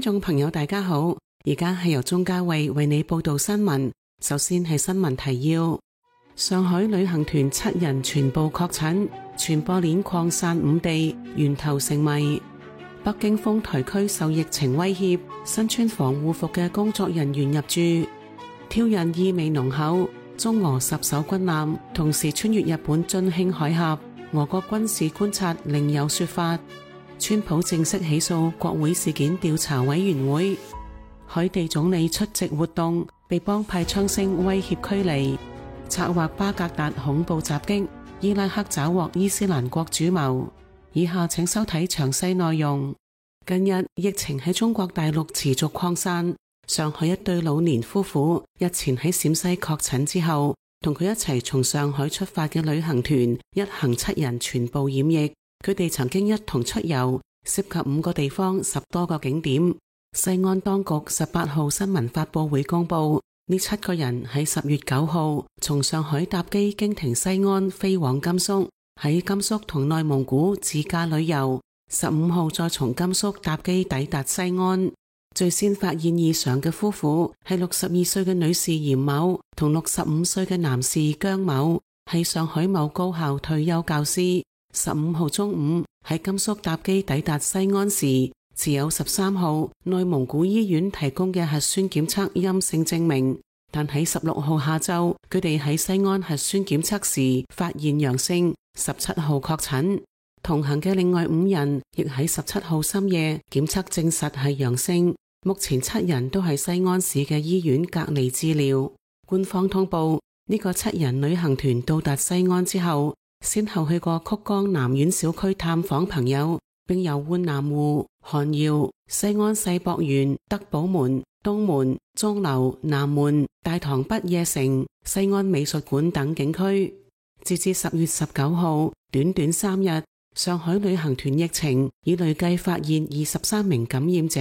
眾朋友大家好，而家係由鍾嘉慧為你報道新聞。首先係新聞提要：上海旅行團7人全部確診，傳播鏈擴散5地，源頭成謎。北京豐台區受疫情威脅，身穿防護服嘅工作人員入住。挑釁意味濃厚，中俄10艘軍艦同時穿越日本津輕海峽，俄國軍事觀察另有說法。川普正式起訴國會事件調查委員會。海地總理出席活動，被幫派槍聲威脅驅離。策劃巴格達恐怖襲擊，伊拉克抓獲伊斯蘭國主謀。以下請收睇詳細內容。近日疫情喺中國大陸持續擴散，上海一對老年夫婦日前喺陝西確診之後，同佢一齊從上海出發嘅旅行團一行7人全部染疫。佢哋曾經一同出遊，涉及5個地方10多個景點。西安當局18號新聞發佈會公佈，呢7個人喺10月9號從上海搭機經停西安飛往甘肅，喺甘肅同內蒙古自駕旅遊，15號再從甘肅搭機抵達西安。最先發現異常嘅夫婦係62歲嘅女士嚴某同65歲嘅男士姜某，係上海某高校退休教師。15號中午喺甘肅搭機抵達西安時，持有13號內蒙古醫院提供嘅核酸檢測陰性證明，但喺16號下晝佢哋喺西安核酸檢測時發現陽性，17號確診。同行嘅另外5人亦喺17號深夜檢測證實係陽性，目前7人都喺西安市嘅醫院隔離治療。官方通報，呢個7人旅行團到達西安之後，先後去過曲江南苑小區探訪朋友，並遊玩南湖、韓窯、西安世博園、德寶門、東門、鐘樓、南門、大唐不夜城、西安美術館等景區。截至10月19號，短短3日，上海旅行團疫情已累計發現23名感染者，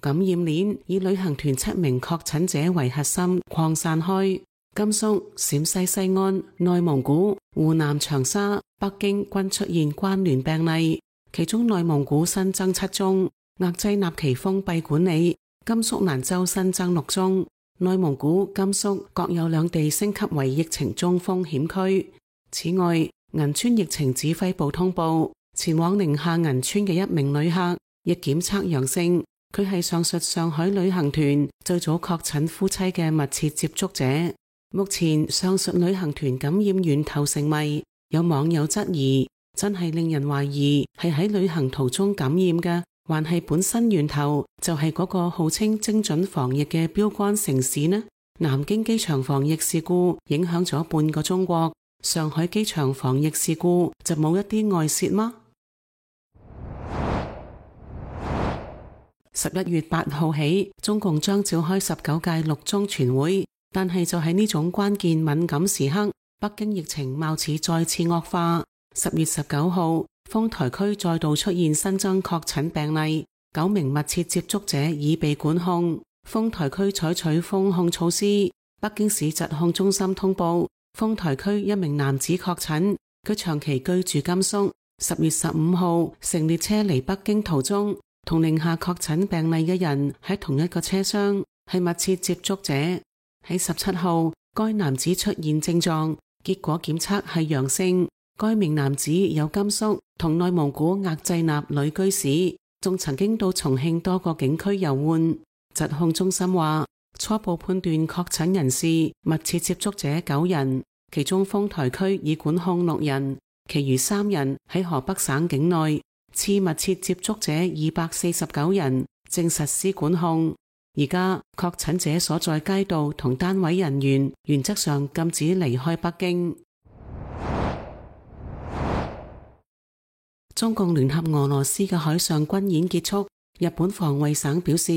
感染鏈以旅行團7名確診者為核心擴散開。甘肅、陝西西安、內蒙古、湖南長沙、北京均出現關聯病例，其中內蒙古新增7宗，額濟納旗封閉管理；甘肅蘭州新增6宗，內蒙古、甘肅各有2地升級為疫情中風險區。此外，銀川疫情指揮部通報，前往寧夏銀川嘅1名旅客亦檢測陽性，佢係上述上海旅行團最早確診夫妻嘅密切接觸者。目前上述旅行團感染源頭成謎，有網友質疑，真係令人懷疑係喺旅行途中感染嘅，還係本身源頭就係嗰個號稱精準防疫嘅標杆城市呢？南京機場防疫事故影響咗半個中國，上海機場防疫事故就冇一啲外泄嗎？11月8號起，中共將召開19屆6中全會。但係就喺呢種關鍵敏感時刻，北京疫情貌似再次惡化。10月19號，豐台區再度出現新增確診病例，9名密切接觸者已被管控。豐台區採取封控措施。北京市疾控中心通報，豐台區1名男子確診，佢長期居住甘肅。10月15號，乘列車離北京途中，同寧夏確診病例嘅人喺同一個車廂，係密切接觸者。喺17號，該男子出現症狀，結果檢測係陽性。該名男子有甘肅同內蒙古額濟納旅居史，仲曾經到重慶多個景區遊玩。疾控中心話，初步判斷確診人士密切接觸者9人，其中豐台區已管控6人，其餘3人喺河北省境內。次密切接觸者249人，正實施管控。而家確診者所在街道同單位人員原則上禁止離開北京。中共聯合俄羅斯嘅海上軍演結束，日本防衛省表示，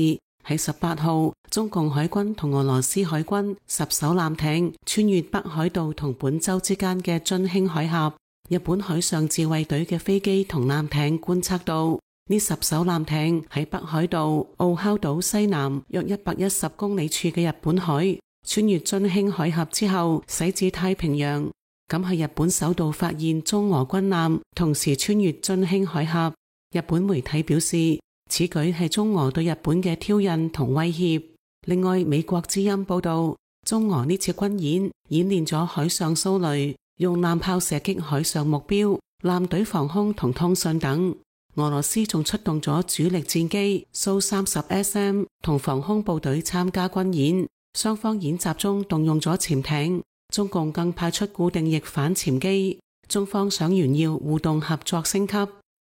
喺18號，中共海軍同俄羅斯海軍10艘艦艇穿越北海道同本州之間嘅津輕海峽，日本海上自衛隊嘅飛機同艦艇觀測到，呢10艘艦艇喺北海道奧尻島西南約110公里處嘅日本海，穿越津輕海峽之後駛至太平洋。咁係日本首度發現中俄軍艦同時穿越津輕海峽。日本媒體表示，此舉係中俄對日本嘅挑釁同威脅。另外，美國之音報道，中俄呢次軍演練咗海上掃雷，用艦炮射擊海上目標、艦隊防空同通訊等。俄羅斯仲出動咗主力戰機蘇 30SM 同防空部隊參加軍演，雙方演習中動用咗潛艇，中共更派出固定翼反潛機。中方想炫耀互動合作升級，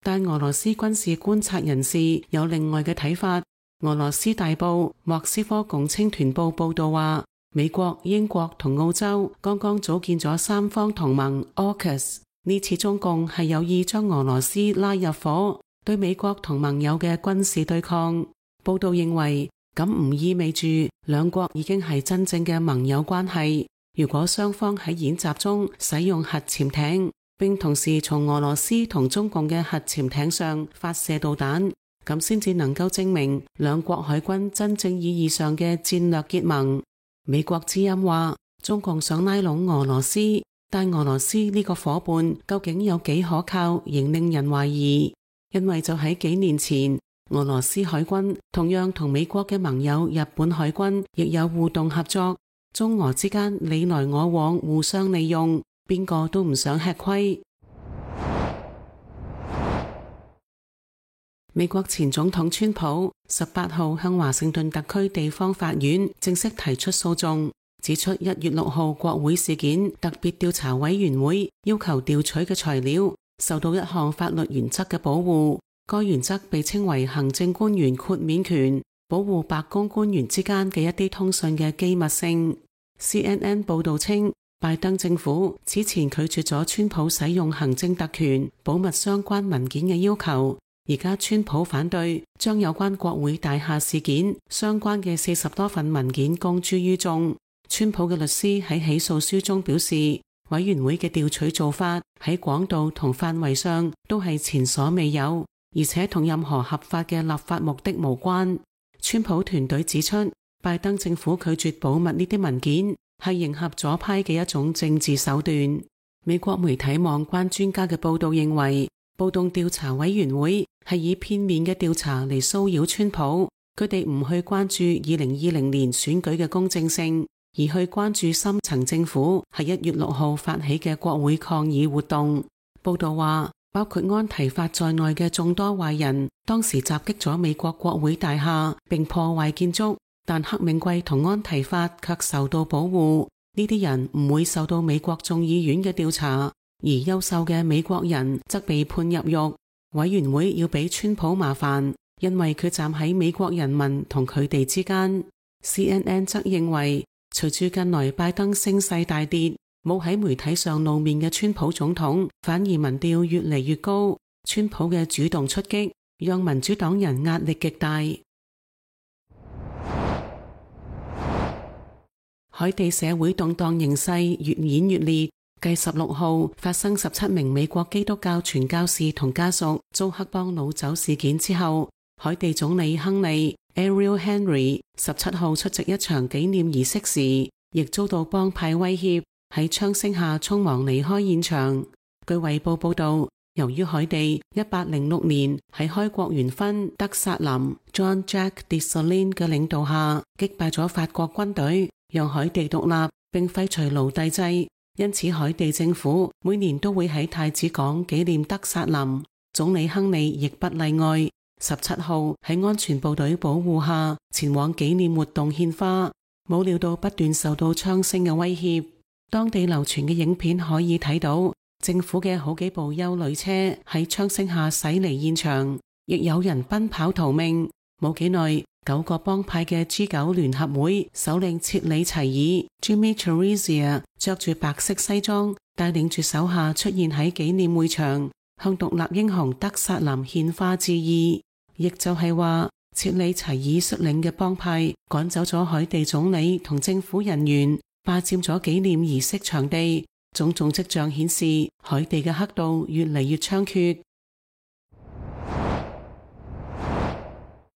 但俄羅斯軍事觀察人士有另外嘅睇法。俄羅斯大報莫斯科共青團報報道話，美國、英國同澳洲剛剛組建咗三方同盟 AUKUS， 呢次中共係有意將俄羅斯拉入伙，對美國同盟友嘅軍事對抗。報道認為，咁唔意味住兩國已經係真正嘅盟友關係。如果雙方喺演習中使用核潛艇，並同時從俄羅斯同中共嘅核潛艇上發射導彈，咁先至能夠證明兩國海軍真正意義上嘅戰略結盟。美國之音話，中共想拉攏俄羅斯，但俄羅斯呢個夥伴究竟有幾可靠，仍令人懷疑。因為就喺幾年前，俄羅斯海軍同樣同美國嘅盟友日本海軍亦有互動合作，中俄之間你來我往，互相利用，邊個都唔想吃虧。美國前總統川普18號向華盛頓特區地方法院正式提出訴訟，指出1月6號國會事件特別調查委員會要求調取嘅材料受到一項法律原則嘅保護，該原則被稱為行政官員豁免權，保護白宮官員之間嘅一啲通訊嘅機密性。CNN 報道稱，拜登政府此前拒絕咗川普使用行政特權保密相關文件嘅要求，而家川普反對將有關國會大廈事件相關嘅40多份文件公諸於眾。川普嘅律師喺起訴書中表示，委員會嘅調取做法喺廣度同範圍上都係前所未有，而且同任何合法嘅立法目的無關。川普團隊指出，拜登政府拒絕保密呢啲文件係迎合左派嘅一種政治手段。美國媒體網關專家嘅報道認為，暴動調查委員會係以片面嘅調查嚟騷擾川普，佢哋唔去關注2020年選舉嘅公正性，而去關注深層政府喺1月6號發起嘅國會抗議活動。報道話，包括安提法在內嘅眾多壞人當時襲擊咗美國國會大廈並破壞建築，但黑名貴同安提法卻受到保護。呢啲人唔會受到美國眾議院嘅調查，而優秀嘅美國人則被判入獄。委員會要俾川普麻煩，因為佢站喺美國人民同佢哋之間。CNN 則認為，隨住近來拜登聲勢大跌，冇喺媒體上露面嘅川普總統反而民調越嚟越高。川普嘅主動出擊讓民主黨人壓力極大。海地社會動盪形勢越演越烈，繼16號發生17名美國基督教傳教士同家屬遭黑幫擄走事件之後，海地總理亨利 Ariel Henry 17號出席一場紀念儀式時，亦遭到幫派威脅，喺槍聲下匆忙離開現場。據衛報報道，由於海地1806年喺開國元勳德薩林 John Jack Dessalines 嘅領導下擊敗咗法國軍隊，讓海地獨立並廢除奴隸制，因此海地政府每年都會喺太子港紀念德薩林，總理亨利亦不例外。17號喺安全部隊保護下前往紀念活動獻花，冇料到不斷受到槍聲嘅威脅。當地流傳嘅影片可以睇到，政府嘅好幾部休旅車喺槍聲下駛離現場，亦有人奔跑逃命。冇幾耐，9個幫派嘅 G9 聯合會首領切里齊爾 Jimmy Chirizia 着住白色西裝，帶領住手下出現喺紀念會場，向獨立英雄德薩林獻花致意。亦就係話，切里齊爾率領嘅幫派趕走咗海地總理同政府人員，霸佔咗紀念儀式場地。種種跡象顯示，海地嘅黑道越嚟越猖獗。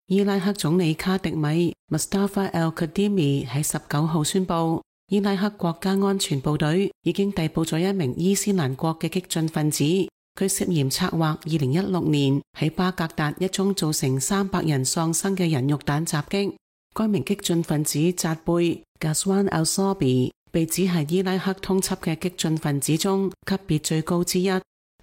伊拉克總理卡迪米 Mustafa al-Kadhimi 喺19號宣布，伊拉克國家安全部隊已經逮捕咗一名伊斯蘭國嘅激進分子，佢涉嫌策劃2016年喺巴格達一宗造成300人喪生嘅人肉彈襲擊。該名激進分子扎貝 Ghazwan al-Sabi 被指係伊拉克通緝嘅激進分子中級別最高之一，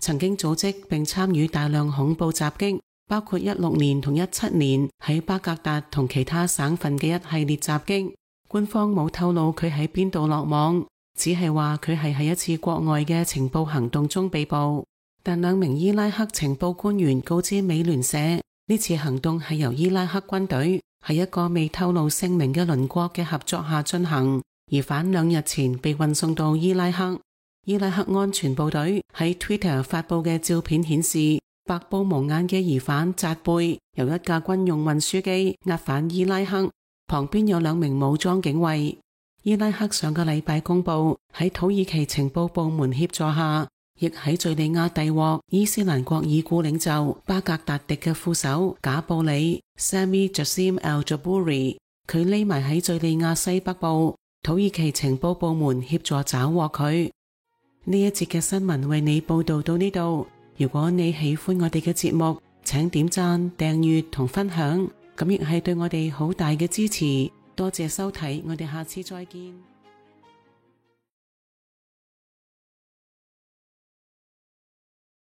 曾經組織並參與大量恐怖襲擊，包括16年同17年喺巴格達同其他省份嘅一系列襲擊。官方冇透露佢喺邊度落網，只係話佢係喺一次國外嘅情報行動中被捕。但2名伊拉克情報官員告知美聯社，呢次行動係由伊拉克軍隊喺一個未透露姓名嘅鄰國嘅合作下進行。疑犯2日前被運送到伊拉克。伊拉克安全部隊喺 Twitter 發佈嘅照片顯示，白布蒙眼嘅疑犯扎貝由一架軍用運輸機押返伊拉克，旁邊有2名武裝警衛。伊拉克上個禮拜公布，喺土耳其情報部門協助下，亦喺敘利亞逮獲伊斯蘭國已故領袖巴格達迪嘅副手賈布里 Sami Jassim al-Jabouri， 佢匿埋喺敘利亞西北部，土耳其情報部門協助找獲佢。呢一節嘅新聞為你報道到呢度。如果你喜歡我哋嘅節目，請點讚、訂閱同分享，咁亦係對我哋好大嘅支持。多謝收睇，我哋下次再見。